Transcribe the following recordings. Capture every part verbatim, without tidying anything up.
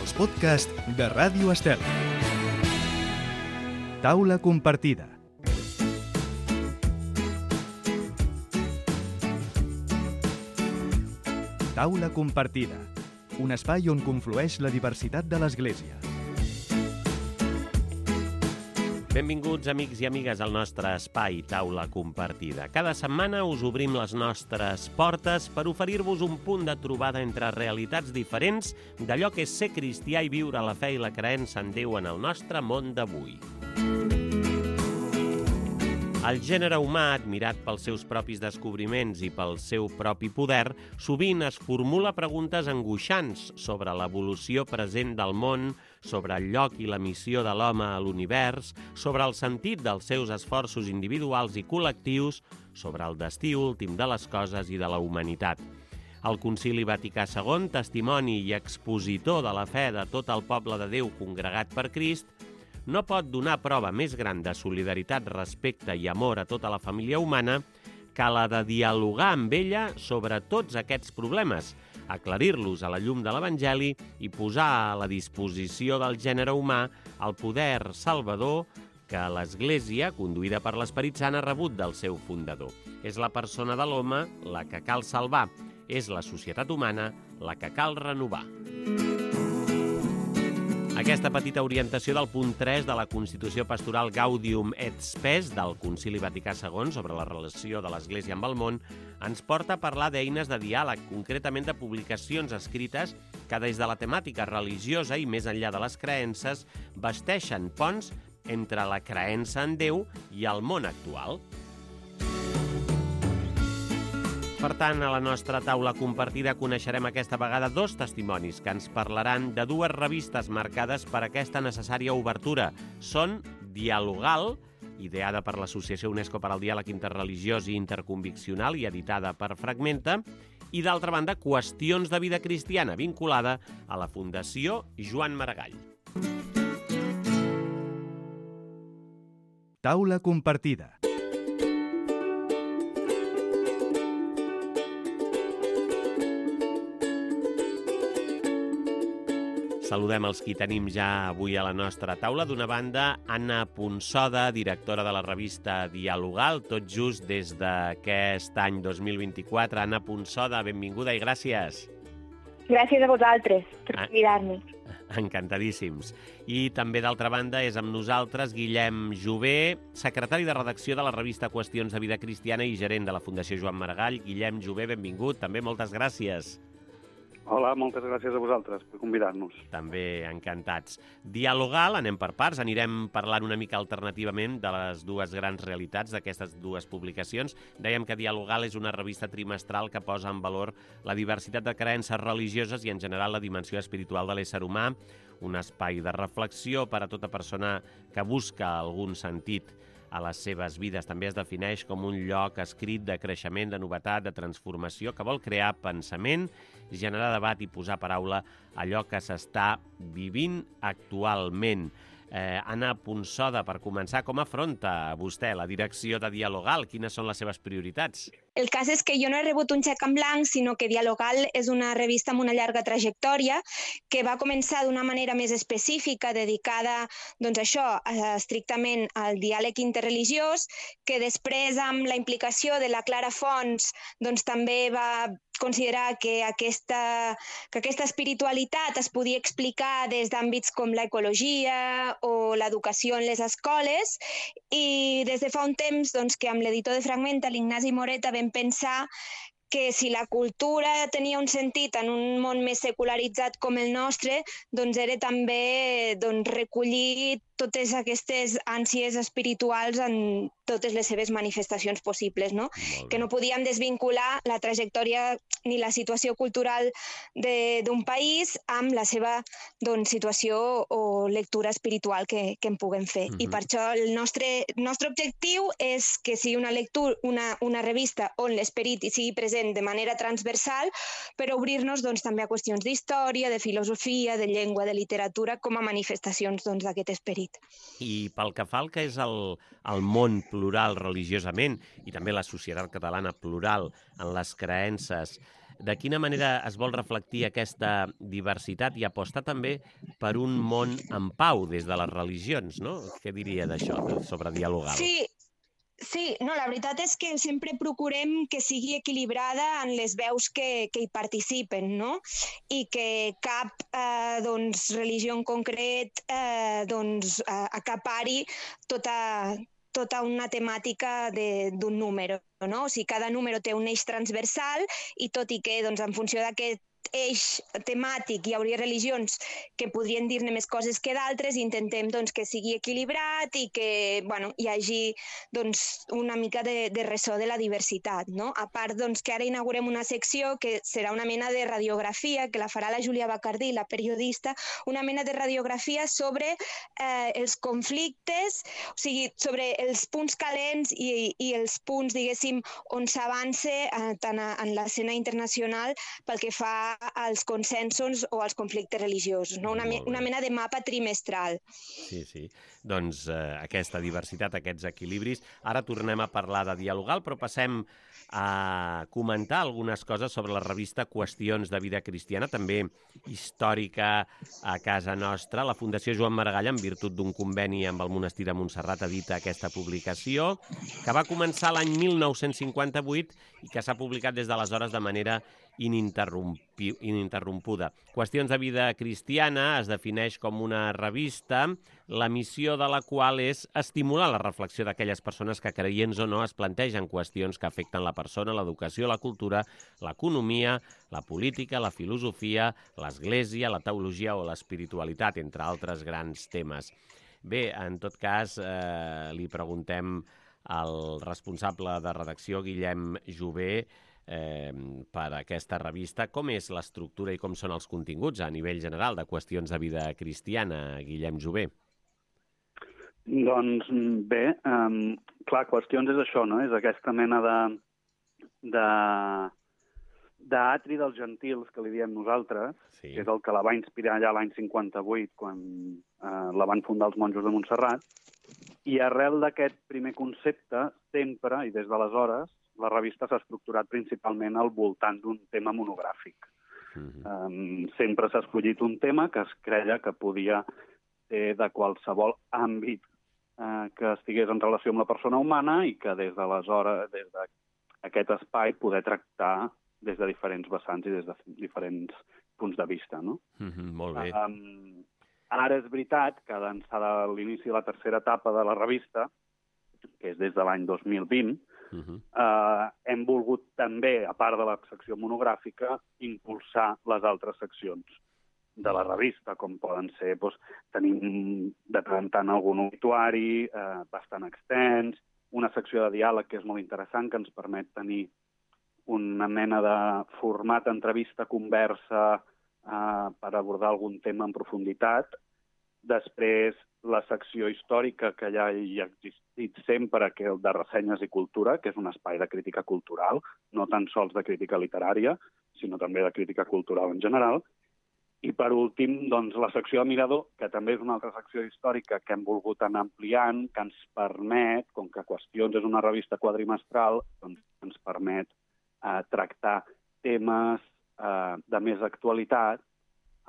els podcasts de Ràdio Estel. Taula compartida. Taula compartida, un espai on conflueix la diversitat de l'Església. Benvinguts, amics i amigues, al nostre espai Taula Compartida. Cada setmana us obrim les nostres portes per oferir-vos un punt de trobada entre realitats diferents d'allò que és ser cristià i viure la fe i la creença en Déu en el nostre món d'avui. El gènere humà, admirat pels seus propis descobriments i pel seu propi poder, sovint es formula preguntes angoixants sobre l'evolució present del món, sobre el lloc i la missió de l'home a l'univers, sobre el sentit dels seus esforços individuals i col·lectius, sobre el destí últim de les coses i de la humanitat. El Concili Vaticà segon, testimoni i expositor de la fe de tot el poble de Déu congregat per Crist, no pot donar prova més gran de solidaritat, respecte i amor a tota la família humana que la de dialogar amb ella sobre tots aquests problemes, aclarir-los a la llum de l'Evangeli i posar a la disposició del gènere humà el poder salvador que l'Església, conduïda per l'Esperit Sant, ha rebut del seu fundador. És la persona de l'home la que cal salvar, és la societat humana la que cal renovar. Aquesta petita orientació del punt tres de la Constitució Pastoral Gaudium et Spes del Concili Vaticà segon sobre la relació de l'Església amb el món ens porta a parlar d'eines de diàleg, concretament de publicacions escrites que des de la temàtica religiosa i més enllà de les creences basteixen ponts entre la creença en Déu i el món actual. Per tant, a la nostra taula compartida coneixerem aquesta vegada dos testimonis que ens parlaran de dues revistes marcades per aquesta necessària obertura. Són Dialogal, ideada per l'Associació UNESCO per al Diàleg Interreligiós i Interconviccional i editada per Fragmenta, i d'altra banda, Qüestions de vida cristiana, vinculada a la Fundació Joan Maragall. Taula compartida. Saludem els qui tenim ja avui a la nostra taula. D'una banda, Anna Ponsoda, directora de la revista Dialogal, tot just des d'aquest any dos mil vint-i-quatre. Anna Ponsoda, benvinguda i gràcies. Gràcies a vosaltres per convidar-nos. Encantadíssims. I també, d'altra banda, és amb nosaltres Guillem Jové, secretari de redacció de la revista Qüestions de vida cristiana i gerent de la Fundació Joan Maragall. Guillem Jové, benvingut. També moltes gràcies. Hola, moltes gràcies a vosaltres per convidar-nos. També encantats. Dialogal, anem per parts, anirem parlant una mica alternativament de les dues grans realitats d'aquestes dues publicacions. Dèiem que Dialogal és una revista trimestral que posa en valor la diversitat de creences religioses i en general la dimensió espiritual de l'ésser humà, un espai de reflexió per a tota persona que busca algun sentit a les seves vides. També es defineix com un lloc escrit de creixement, de novetat, de transformació, que vol crear pensament, generar debat i posar paraula a allò que s'està vivint actualment. Eh, Anna Ponsoda, per començar, com afronta vostè la direcció de Dialogal? Quines són les seves prioritats? El cas és que jo no he rebut un xec en blanc, sinó que Dialogal és una revista amb una llarga trajectòria que va començar d'una manera més específica, dedicada, doncs això, estrictament al diàleg interreligiós, que després, amb la implicació de la Clara Fons, doncs també va considerar que aquesta, que aquesta espiritualitat es podia explicar des d'àmbits com l'ecologia o l'educació en les escoles, i des de fa un temps doncs, que amb l'editor de Fragmenta, l'Ignasi Moreta, vam pensar que si la cultura tenia un sentit en un món més secularitzat com el nostre, doncs era també doncs, recollir totes aquestes ànsies espirituals en totes les seves manifestacions possibles, no? Que no podíem desvincular la trajectòria ni la situació cultural d'un país amb la seva doncs, situació o lectura espiritual que, que en puguem fer. Uh-huh. I per això el nostre, nostre objectiu és que sigui una lectura, una, una revista on l'esperit hi sigui present de manera transversal, per obrir-nos doncs, també a qüestions d'història, de filosofia, de llengua, de literatura, com a manifestacions doncs, d'aquest esperit. I pel que fa al que és el, el món plural religiosament i també la societat catalana plural en les creences, de quina manera es vol reflectir aquesta diversitat i apostar també per un món en pau des de les religions, no? Què diria d'això, sobre dialogal? Sí, sí, no, la veritat és que sempre procurem que sigui equilibrada en les veus que, que hi participen, no? I que cap eh, doncs, religió en concret eh, doncs, eh, acapari tota, tota una temàtica d'un número, no? O sigui, cada número té un eix transversal i tot i que doncs, en funció d'aquest eix temàtic hi hauria religions que podrien dir-ne més coses que d'altres, intentem doncs, que sigui equilibrat i que bueno, hi hagi doncs, una mica de, de ressò de la diversitat. No? A part doncs, que ara inaugurem una secció que serà una mena de radiografia, que la farà la Júlia Bacardí, la periodista, una mena de radiografia sobre eh, els conflictes, o sigui, sobre els punts calents i, i els punts, diguéssim, on s'avança eh, tant a, en l'escena internacional pel que fa als consensos o als conflictes religiosos, no? Una, me, una mena de mapa trimestral. Sí, sí. Doncs eh, aquesta diversitat, aquests equilibris. Ara tornem a parlar de dialogal, però passem a comentar algunes coses sobre la revista Qüestions de Vida Cristiana, també històrica a casa nostra. La Fundació Joan Maragall, en virtut d'un conveni amb el monestir de Montserrat, edita aquesta publicació, que va començar l'any mil nou-cents cinquanta-vuit i que s'ha publicat des d'aleshores de manera ininterrompuda. Qüestions de Vida Cristiana es defineix com una revista, la missió de la qual és estimular la reflexió d'aquelles persones que, creients o no, es plantegen qüestions que afecten la persona, l'educació, la cultura, l'economia, la política, la filosofia, l'església, la teologia o l'espiritualitat, entre altres grans temes. Bé, en tot cas, eh, li preguntem al responsable de redacció, Guillem Jové, Eh, per aquesta revista. Com és l'estructura i com són els continguts a nivell general de Qüestions de Vida Cristiana, Guillem Jové? Doncs bé, um, clar, Qüestions és això, no? És aquesta mena de de d'atri dels gentils, que li diem nosaltres, sí. Que és el que la va inspirar allà l'any cinquanta-vuit, quan eh, la van fundar els monjos de Montserrat, i arrel d'aquest primer concepte, sempre, i des d'aleshores, la revista s'ha estructurat principalment al voltant d'un tema monogràfic. Mm-hmm. um, sempre s'ha escollit un tema que es creia que podia ser de qualsevol àmbit eh, que estigués en relació amb la persona humana i que des d'aleshores, des d'aquest espai, poder tractar des de diferents vessants i des de diferents punts de vista. No? Mm-hmm, molt bé. Um, ara és veritat que d'ençà de l'inici de la tercera etapa de la revista, que és des de l'any dos mil vint, Uh-huh. Uh, hem volgut també, a part de la secció monogràfica, impulsar les altres seccions de la revista, com poden ser, doncs, tenim de tant en tant algun obituari uh, bastant extens, una secció de diàleg que és molt interessant, que ens permet tenir una mena de format entrevista-conversa uh, per abordar algun tema en profunditat. Després, la secció històrica, que ja hi ha existit sempre, que és de ressenyes i cultura, que és un espai de crítica cultural, no tan sols de crítica literària, sinó també de crítica cultural en general. I, per últim, doncs, la secció de Mirador, que també és una altra secció històrica que hem volgut anar ampliant, que ens permet, com que Qüestions és una revista quadrimestral, doncs ens permet eh, tractar temes eh, de més actualitat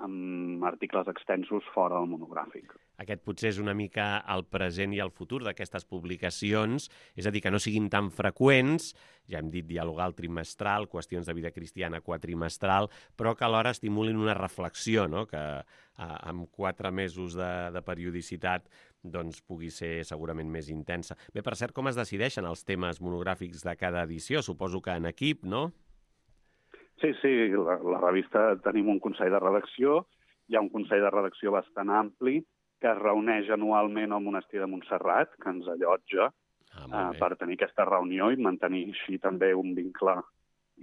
amb articles extensos fora del monogràfic. Aquest potser és una mica el present i el futur d'aquestes publicacions, és a dir, que no siguin tan freqüents, ja hem dit dialogal trimestral, Qüestions de Vida Cristiana quatrimestral, però que alhora estimulin una reflexió, no? Que eh, amb quatre mesos de, de periodicitat doncs, pugui ser segurament més intensa. Bé, per cert, com es decideixen els temes monogràfics de cada edició? Suposo que en equip, no? Sí, sí, la, la revista tenim un consell de redacció, hi ha un consell de redacció bastant ampli que es reuneix anualment al monestir de Montserrat, que ens allotja ah, eh, per tenir aquesta reunió i mantenir així també un vincle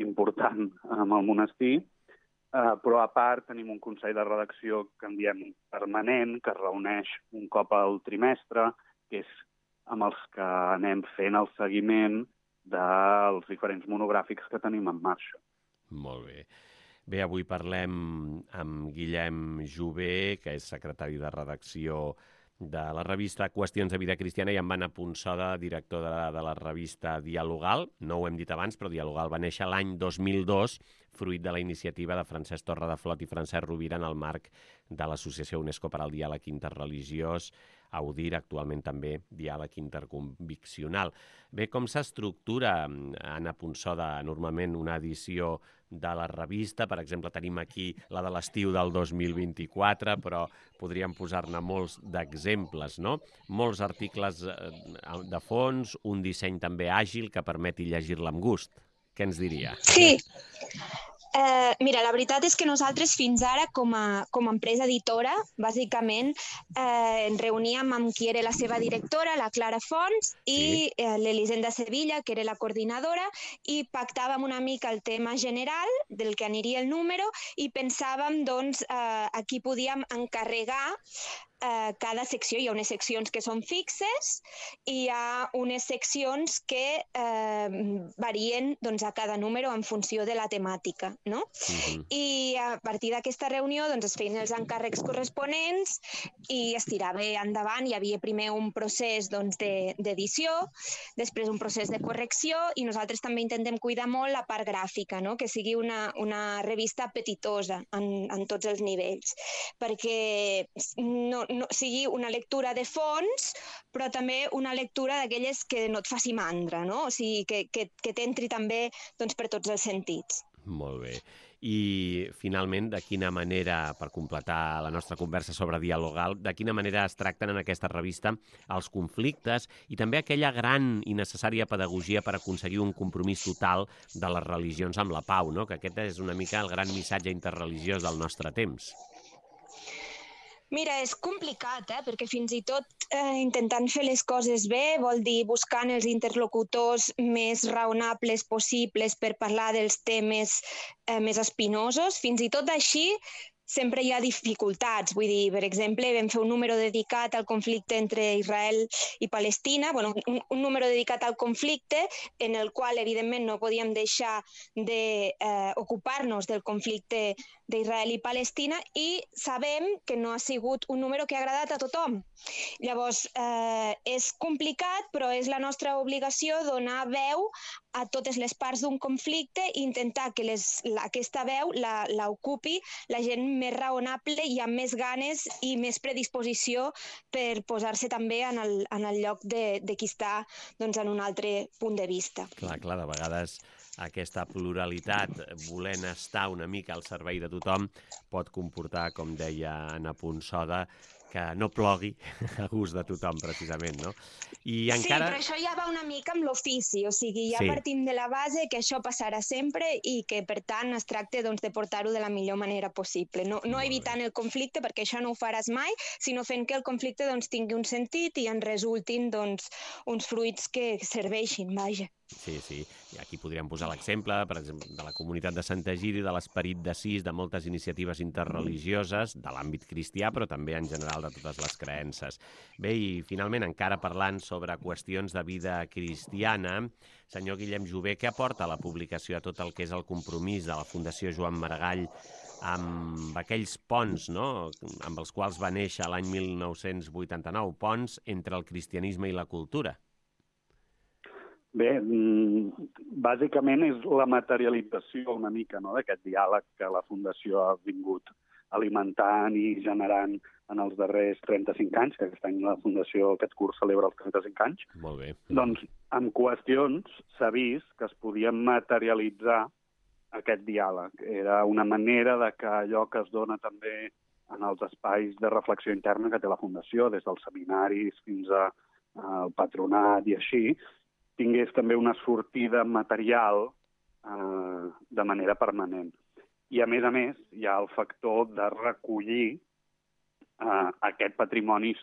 important amb el monestir. Eh, però a part tenim un consell de redacció que en diem permanent, que es reuneix un cop al trimestre, que és amb els que anem fent el seguiment dels diferents monogràfics que tenim en marxa. Molt bé. Bé, avui parlem amb Guillem Jové, que és secretari de redacció de la revista Qüestions de Vida Cristiana, i en Anna Punsoda, director de, de la revista Dialogal. No ho hem dit abans, però Dialogal va néixer l'any dos mil dos, fruit de la iniciativa de Francesc Torredeflot i Francesc Rovira en el marc de l'Associació UNESCO per al Diàleg Interreligiós, AUDIR, actualment també Diàleg Interconviccional. Bé, com s'estructura, Anna Punsoda, normalment una edició de la revista? Per exemple, tenim aquí la de l'estiu del dos mil vint-i-quatre, però podríem posar-ne molts d'exemples, no? Molts articles de fons, un disseny també àgil que permeti llegir-la amb gust. Què ens diria? Sí. Eh, mira, la veritat és que nosaltres fins ara, com a, com a empresa editora, bàsicament eh, ens reuníem amb qui era la seva directora, la Clara Fons, i sí. eh, l'Elisenda Sevilla, que era la coordinadora, i pactàvem una mica el tema general del que aniria el número i pensàvem, doncs, eh, a qui podíem encarregar Uh, cada secció. Hi ha unes seccions que són fixes i hi ha unes seccions que uh, varien, doncs, a cada número en funció de la temàtica, no? Uh-huh. I a partir d'aquesta reunió, doncs, es feien els encàrrecs corresponents i es tirava endavant. Hi havia primer un procés, doncs, de, d'edició, després un procés de correcció, i nosaltres també intentem cuidar molt la part gràfica, no? Que sigui una, una revista apetitosa en, en tots els nivells, perquè no, no sigui una lectura de fons, però també una lectura d'aquelles que no et faci mandra, no? O sigui, que, que, que t'entri també, doncs, per tots els sentits. Molt bé. I, finalment, de quina manera, per completar la nostra conversa sobre Dialogal, de quina manera es tracten en aquesta revista els conflictes i també aquella gran i necessària pedagogia per aconseguir un compromís total de les religions amb la pau, no? Que aquest és una mica el gran missatge interreligiós del nostre temps. Mira, és complicat, eh? Perquè fins i tot eh, intentant fer les coses bé vol dir buscant els interlocutors més raonables possibles per parlar dels temes eh, més espinosos. Fins i tot així sempre hi ha dificultats. Vull dir, per exemple, vam fer un número dedicat al conflicte entre Israel i Palestina, bueno, un, un número dedicat al conflicte en el qual, evidentment, no podíem deixar d'ocupar-nos eh, del conflicte d'Israel i Palestina, i sabem que no ha sigut un número que ha agradat a tothom. Llavors, eh, és complicat, però és la nostra obligació donar veu a totes les parts d'un conflicte i intentar que les, la, aquesta veu la, la ocupi la gent més raonable i amb més ganes i més predisposició per posar-se també en el, en el lloc de, de qui està, doncs, en un altre punt de vista. Clar, clar, de vegades aquesta pluralitat, volent estar una mica al servei de tothom, pot comportar, com deia Anna Punsoda, que no plogui a gust de tothom, precisament, no? I encara... Sí, però això ja va una mica amb l'ofici, o sigui, ja sí. partim de la base que això passarà sempre i que, per tant, es tracta, doncs, de portar-ho de la millor manera possible. No, no evitant el conflicte, perquè això no ho faràs mai, sinó fent que el conflicte, doncs, tingui un sentit i en resultin, doncs, uns fruits que serveixin, vaja. Sí, sí. I aquí podríem posar l'exemple, per exemple, de la comunitat de Sant Egidi, de l'Esperit d'Assís, de moltes iniciatives interreligioses, de l'àmbit cristià, però també en general de totes les creences. Bé, i finalment, encara parlant sobre qüestions de vida cristiana, senyor Guillem Jové, què aporta la publicació a tot el que és el compromís de la Fundació Joan Maragall amb aquells ponts, no?, amb els quals va néixer l'any mil nou-cents vuitanta-nou, ponts entre el cristianisme i la cultura? Bé, bàsicament és la materialització una mica, no?, d'aquest diàleg que la Fundació ha vingut alimentant i generant en els darrers trenta-cinc anys, que aquest any la Fundació aquest curs celebra els trenta-cinc anys. Molt bé. Doncs amb qüestions s'ha vist que es podia materialitzar aquest diàleg. Era una manera de que allò que es dona també en els espais de reflexió interna que té la Fundació, des dels seminaris fins al patronat i així, tingués també una sortida material eh, de manera permanent. I, a més a més, hi ha el factor de recollir eh, aquest patrimoni